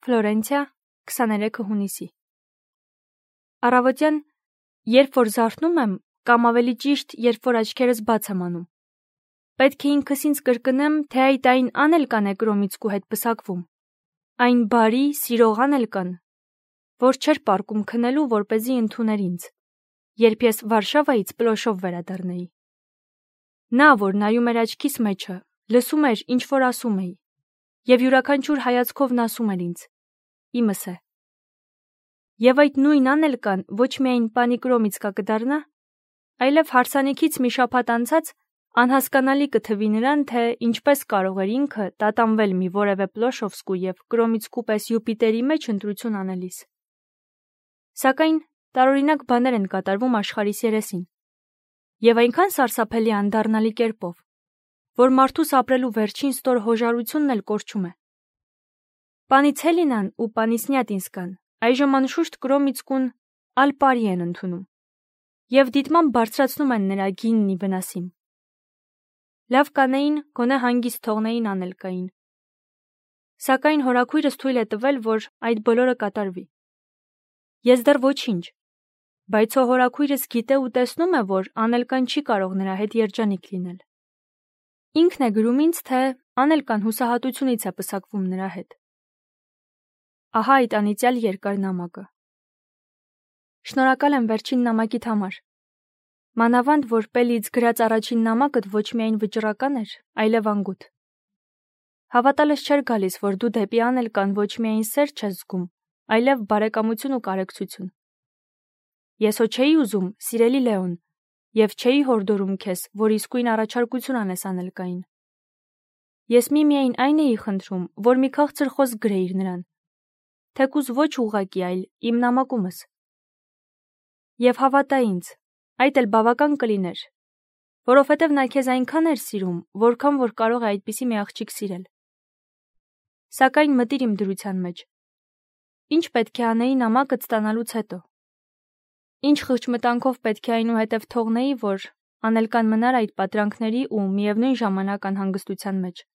Ֆլորենցիա 23 հունիսի։ Առավոտյան, երբ որ զարթնում եմ, կամ ավելի ճիշտ, երբ որ աչքերս բաց եմ անում, պետք է ինքս ինձ կրկնեմ, թե այդ այն անել կան է Կրոմիցկու հետ պսակվում, այն բարի, սիրող անել կան, որ չէր պարկում քնելու, որպեսզի ընդուներ ինձ, երբ ես Վարշավայից պլոշով վերադառնայի։ Նա, որ նայում էր աչքիս մեջը, լսում էր, ինչ որ ասում էի, և յուրաքանչյուր հայացքով նա ասում էր ինձ. իմս է։ Եվ այդ նույն անել կան ոչ միայն պանի Կրոմիցկա կդառնա, այլև հարսանիքից մի շաբաթ անցած անհասկանալի կթվի նրան, թե ինչպես կարող էր ինքը տատանվել մի որևէ Պլոշովսկու և Կրոմիցկու պես Յուպիտերի մեջ ընտրություն անելիս։ Սակայն տարօրինակ բաներ են կատարվում աշխարհիս երեսին, և այնքան սարսափելի անդառնալի կերպով, որ մարդուս ապրելու վերջին ստոր հոժարությունն էլ կորչում է։ Պանի Ցելինան ու պանի Սնյատինսկան այժմ անշուշտ Կրոմիցկուն ալ-Պարի են ընդունում, և դիտմամբ բարձրացնում են նրա գիննի վնասին։ Լավ կանեին, գոնե հանգիստ թողնեին անել կային։ Սակայն հորաքույրս թույլ է տվել, որ այդ բոլորը կատարվի։ Ես դեռ ոչինչ, բայց հորաքույրս գիտե ու տեսնում է, որ Անելկան չի կարող նրա հետ երջանիկ լինել։ Ինքն է գրում ինձ, թե Անելկան հուսահատությունից է պսակվում նրա հետ։ Ահա այդ անիծյալ երկար նամակը։ Շնորհակալ եմ վերջին նամակիդ համար։ Մանավանդ, որ Պելիից գրած առաջին նամակդ ոչ միայն վճռական էր, այլև անգութ։ Հավատալս չէր գալիս, որ դու դեպի Անելկան ոչ միայն սեր չես զգում, այլև բարեկամություն ու կարեկցություն։ Ես հո չէի ուզում, սիրելի Լեոն, և չէի հորդորում քեզ, որ իսկույն առաջարկություն անես Անելկային։ Ես միմիայն այն էի խնդրում, որ մի քաղցր խոսք գրեիր նրան, թեկուզ ոչ ուղղակի, այլ իմ նամակումս։ Եվ հավատա ինձ, այդ էլ բավական կլիներ, որովհետև նա քեզ այնքան էր սիրում, որքան որ կարող է այդպիսի մի աղջիկ սիրել։ Սակայն մտիր իմ դրության մեջ։ Ինչ պետք է անեի նամակդ ստանալուց հետո։ Ինչ խղճմտանքով պետք է այնուհետև թողնեի, որ Անելկան մնար այդ պատրանքների ու միևնույն ժամանակ անհանգստության մեջ,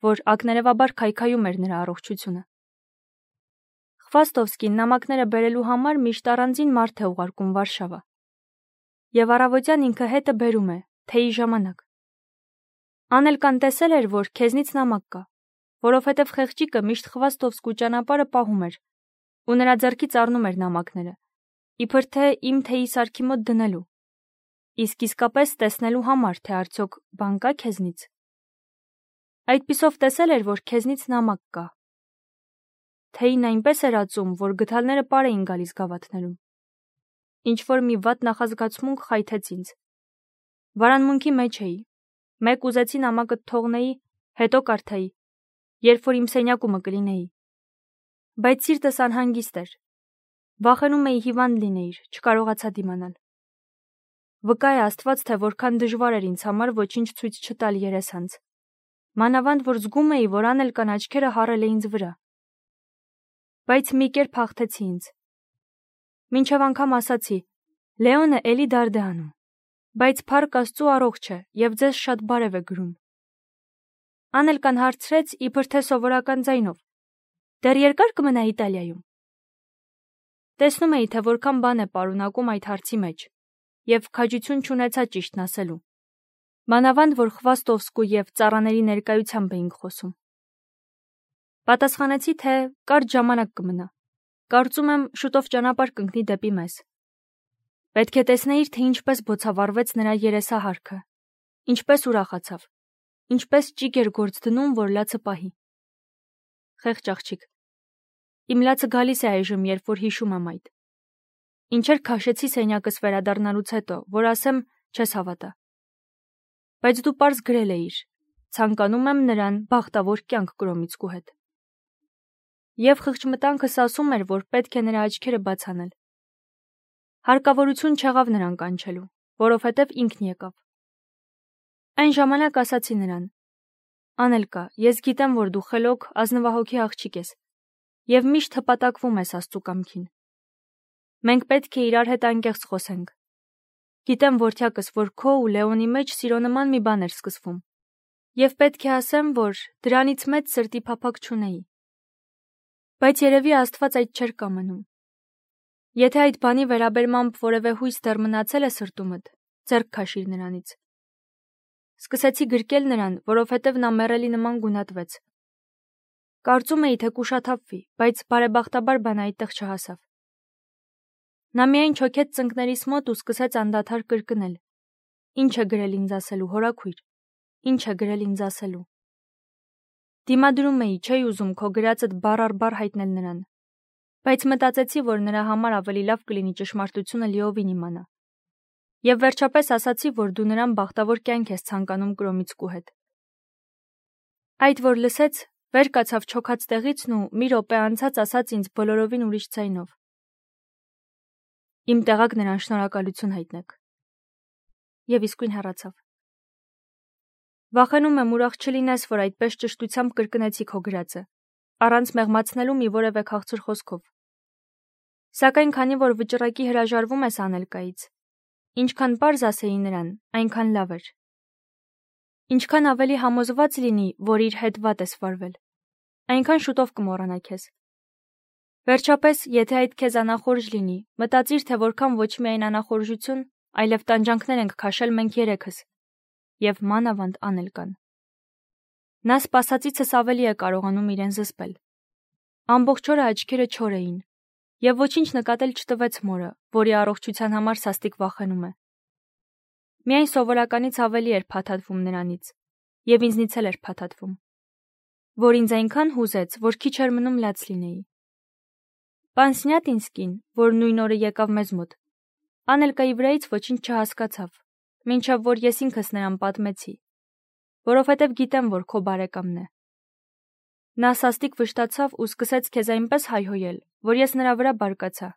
որ ակներևաբար քայքայում էր նրա առողջությունը։ Խվաստովսկին նամակները բերելու համար միշտ առանձին մարդ է ուղարկում Վարշավա, և առավոտյան ինքը հետը բերում է, թեյի ժամանակ։ Անելկան տեսել էր, որ քեզնից նամակ կա, որովհետև խեղճիկը միշտ Խվաստովսկու ճանապարհը պահում էր ու նրա ձեռքից առնում էր նամակները, իբր թե իմ թեյի սարքի մոտ դնելու, իսկ իսկապես տեսնելու համար, թե արդյոք բան կա քեզնից։ Այդպիսով տեսել էր, որ քեզնից նամակ կա։ Թեյին այնպես էր ածում, որ գդալները պար էին գալիս գավաթներում։ Ինչ-որ մի վատ նախազգացմունք խայթեց ինձ։ Վարանմունքի մեջ էի, մեկ ուզեցի նամակը թողնեի, հետո կարդայի, երբ որ իմ սենյակումը կլինեի։ Բայց սիրտս անհանգիստ էր։ Վախենում էի հիվանդ լինեիր, չկարողացա դիմանալ։ Վկա է Աստված, թե որքան դժվար էր ինձ համար ոչինչ ցույց չտալ երեսանց, մանավանդ որ զգում էի, որ Անելկան աչքերը հառել է ինձ վրա։ Բայց մի կերպ հաղթեցի ինձ։ Մինչև անգամ ասացի. Լեոնը էլի դարդ է անում, բայց փառք Աստծու առողջ է և ձեզ շատ բարև է գրում։ Անելկան հարցրեց, իբր թե սովորական ձայնով. դեռ երկար կմնա Իտալիայում։ Տեսնում էի, թե որքան բան է պարունակում այդ հարցի մեջ, և քաջություն չունեցա ճիշտն ասելու, մանավանդ որ Խվաստովսկու և ծառաների ներկայությամբ էինք խոսում։ Պատասխանեցի, թե կարճ ժամանակ կմնա, կարծում եմ շուտով ճանապարհ կընկնի դեպի մեզ։ Պետք է տեսնեիր, թե ինչպես բոցավառվեց նրա երեսահարքը, ինչպես ուրախացավ, ինչպես ճիգ էր գործ դնում, որ լացը պահի։ Խեղճ աղջիկ։ Իմ լացը գալիս է այժմ, երբ որ հիշում եմ այդ։ Ինչեր քաշեցի սենյակս վերադառնալուց հետո, որ ասեմ, չես հավատա։ Բայց դու պարզ գրել էիր. ցանկանում եմ նրան բախտավոր կյանք Կրոմիցկու հետ։ Եվ խղճմտանքս ասում էր, որ պետք է նրա աչքերը բաց անել։ Հարկավորություն չեղավ նրան կանչելու, որովհետև ինքն եկավ։ Այն ժամանակ ասացի նրան. Անելկա, ես գիտեմ, որ դու խելոք, ազնվահոգի աղջիկ ես, և միշտ հպատակվում ես Աստծու կամքին։ Մենք պետք է իրար հետ անկեղծ խոսենք։ Գիտեմ որդյակս, որ քո ու Լեոնի մեջ սիրո նման մի բան էր սկսվում, և պետք է ասեմ, որ դրանից մեծ սրտի փափակ չունեի։ Բայց երևի Աստված այդ չէր կամենում։ Եթե այդ բանի վերաբերմամբ որևէ հույս դեռ մնացել է սրտումդ, ձեռք քաշիր նրանից։ Սկսեցի գրկել նրան, որովհետև նա մեռելի նման գունատվեց։ Կարծում էի, թե կուշաթափվի, բայց բարեբախտաբար բանը այդտեղ չհասավ։ Նա միայն չոքեց ծնկներիս մոտ ու սկսեց անդադար կրկնել. «Ինչ է գրել ինձ ասելու, հորաքույր, ինչ է գրել ինձ ասելու»։ Դիմադրում էի, չէի ուզում քո գրածդ բառ առ բառ հայտնել նրան, բայց մտածեցի, որ նրա համար ավելի լավ կլինի ճշմարտությունը լիովին իմանա։ Եվ վերջապես ասացի, որ դու նրան բախտավոր կյանք ես ցանկանում Կրոմիցկու հետ։ Այդ որ լսեց, վեր կացավ չոքած տեղիցն ու մի րոպե անցած ասաց ինձ բոլորովին ուրիշ ձայնով. «Իմ տեղակ նրան շնորհակալություն հայտնեք»։ Եվ իսկույն հեռացավ։ Վախենում եմ ուրախ չլինես, որ այդպես ճշտությամբ կրկնեցի քո գրածը, առանց մեղմացնելու մի որևէ քաղցր խոսքով։ Սակայն քանի որ վճռակի հրաժարվում ես Անելկայից, ինչքան պարզ ասեի նրան, այնքան լավ էր։ Ինչքան ավելի համոզված լինի, որ իր հետ վատ ես վարվել, այնքան շուտով կմոռանա քեզ։ Վերջապես, եթե այդ քեզ անախորժ լինի, մտածիր, թե որքան ոչ միայն անախորժություն, այլև տանջանքներ ենք քաշել մենք երեքս, և մանավանդ Անելկան։ Նա սպասածիցս ավելի է կարողանում իրեն զսպել։ Ամբողջ օրը աչքերը չոր էին, և ոչինչ նկատել չտվեց մորը, որի առողջության համար սաստիկ վախենում է։ Միայն սովորականից ավելի էր փաթաթվում նրանից, և ինձնից էլ էր փաթաթվում, որ ինձ այնքան հուզեց, որ քիչ էր մնում լաց լինեի։ Պան Սնյատինսկին, որ նույն օրը եկավ մեզ մոտ, Անելկայի վրայից ոչինչ չհասկացավ, մինչև որ ես ինքս նրան պատմեցի, որովհետև գիտեմ, որ քո բարեկամն է։ Նա սաստիկ վշտացավ ու սկսեց քեզ այնպես հայհոյել, որ ես նրա վրա բարկացա։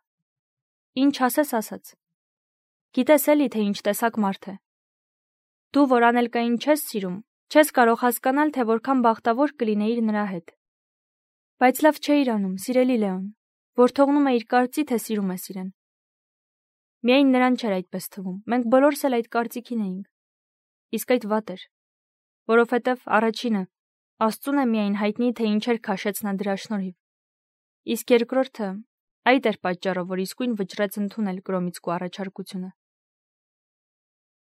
Ինչ ասես ասաց։ Գիտես էլի, թե ինչ տեսակ մարդ է։ Դու, որ Անելկային չես սիրում, չես կարող հասկանալ, թե որքան բախտավոր կլինեիր նրա հետ։ Բայց լավ չէիր անում, սիրելի Լեոն, որ թողնում էիր կարծի, թե սիրում ես իրեն։ Միայն նրան չէր այդպես թվում, մենք բոլորս էլ այդ կարծիքին էինք։ Իսկ այդ վատ էր, որովհետև առաջինը Աստծուն է միայն հայտնի, թե ինչեր քաշեց նա դրա շնորհիվ։ Իսկ երկրորդը այդ էր պատճառը, որ իսկույն վճռեց ընդունել Կրոմիցկու առաջարկությունը։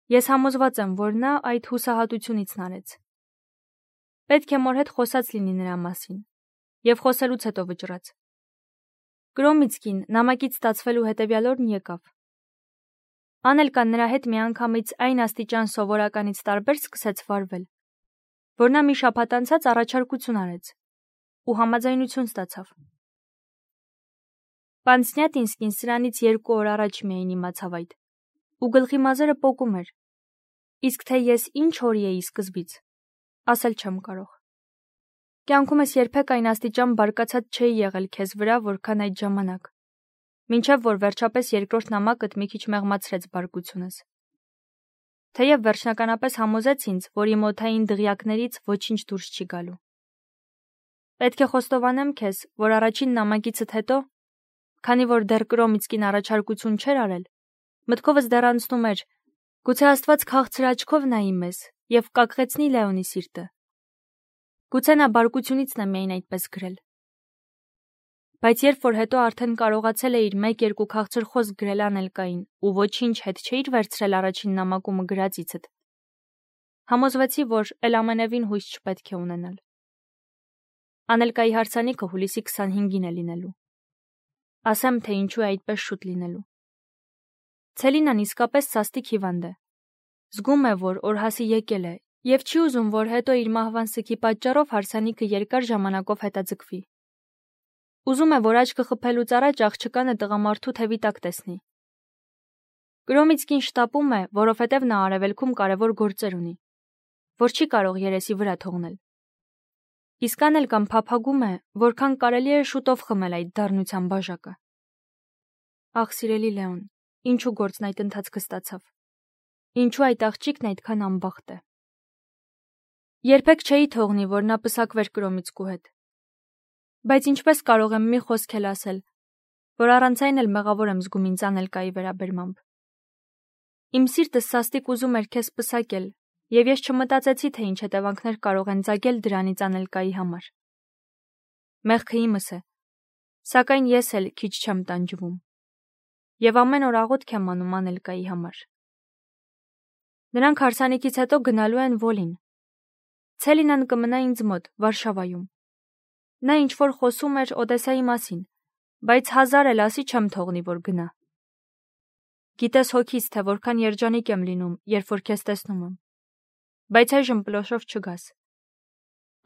Ես համոզված եմ, որ նա այդ հուսահատությունիցն արեց։ Պետք է մոր հետ խոսած լինի նրա մասին, և խոսելուց հետո վճռաց։ Կրոմիցկին նամակից ստացվելու հետևյալ օրն եկավ։ Անելկան նրա հետ միանգամից այն աստիճան սովորականից տարբեր սկսեց վարվել, որ նա մի շաբաթ անցած առաջարկություն արեց ու համաձայնություն ստացավ։ Պան Սնյատինսկին սրանից 2 օր առաջ միայն իմացավ այդ, ու գլխի մազերը պոկում էր, իսկ թե ես ինչ հորի էի սկզբից, ասել չեմ կարող։ Կյանքումս երբեք այն աստիճան բարկացած չէի եղել քեզ վրա, որքան այդ ժամանակ, մինչև որ վերջապես երկրորդ նամակդ մի քիչ մեղմացրեց բարկությունս։ Թեև վերջնականապես համոզեց ինձ, որ իմ օդային դղյակներից ոչինչ դուրս չի գալու։ Պետք է խոստովանեմ քեզ, որ առաջին նամակիցդ հետո, քանի որ դեռ Կրոմիցկին առաջարկություն չէր արել, մտքովս դեռ անցնում էր, գուցե Աստված քաղցր աչքով նայի մեզ և կակղեցնի Լեոնի սիրտը։ Գուցե նա բարկությունիցն է միայն այդպես գրել։ Բայց երբ որ հետո արդեն կարողացել էիր 1-2 քաղցր խոսք գրել Անելկային ու ոչինչ հետ չէիր վերցրել առաջին նամակումը գրածիցդ, համոզվեցի, որ էլ ամենևին հույս չպետք է ունենալ։ Անելկայի հարսանիքը հուլիսի 25-ին է լինելու։ Ասեմ, թե ինչու է այդպես շուտ լինելու։ Ցելինան իսկապես սաստիկ հիվանդ է։ Զգում է, որ օրհասի եկել է և չի ուզում, որ հետո իր մահվան սգի պատճառով հարսանիքը երկար ժամանակով հետաձգվի։ Ուզում է, որ աչքը խփելուց առաջ աղջկանը տղամարդու թևի տակ տեսնի։ Կրոմիցկին շտապում է, որովհետև նա արևելքում կարևոր գործեր ունի, որ չի կարող երեսի վրա թողնել։ Իսկ Անելկան փափագում է, որքան կարելի է շուտով խմել այդ դառնության բաժակը։ Ախ, սիրելի Լեոն, ինչու գործն այդ ընթացքը ստացավ։ Ինչու այդ աղջիկն այդքան անբախտ է։ Երբեք չէի թողնի, որ նա պսակվեր Կրոմիցկու հետ։ Բայց ինչպես կարող եմ մի խոսք էլ ասել, որ առանց այն էլ մեղավոր եմ զգում ինձ Անելկայի վերաբերմամբ։ Իմ սիրտը սաստիկ ուզում էր քեզ պսակել, և ես չմտածեցի, թե ինչ հետևանքներ կարող են ծագել դրանից Անելկայի համար։ Մեղքը իմս է, Սակայն ես էլ քիչ չեմ տանջվում։ Եվ ամեն օր աղոթք եմ անում Անելկայի համար։ Նրանք հարսանիքից հետո գնալու են Վոլին։ Ցելինան կմնա ինձ մոտ, Վարշավայում։ Նա ինչ-որ խոսում էր Օդեսայի մասին, բայց 1000 էլ ասի չեմ թողնի, որ գնա։ Գիտես հոգիս, թե որքան երջանիկ եմ լինում, երբ որ քեզ տեսնում եմ։ Բայց այժմ պլոշով չգաս։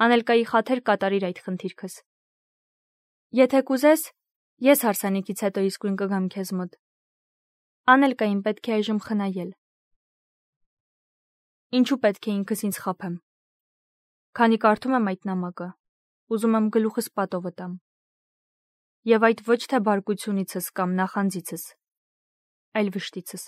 Անելկայի խաթեր կատարիր այդ խնդիրքս։ Եթե կուզես, ես հարսանիքից հետո իսկույն կգամ քեզ մոտ։ Անելկային պետք է այժմ խնայել։ Ինչու պետք է ինքս ինձ խաբեմ։ Քանի կարդում եմ այդ նամակը, ուզում եմ գլուխս պատով տամ։ Եվ այդ ոչ թե բարկությունիցս կամ նախանձիցս, այլ վշտիցս։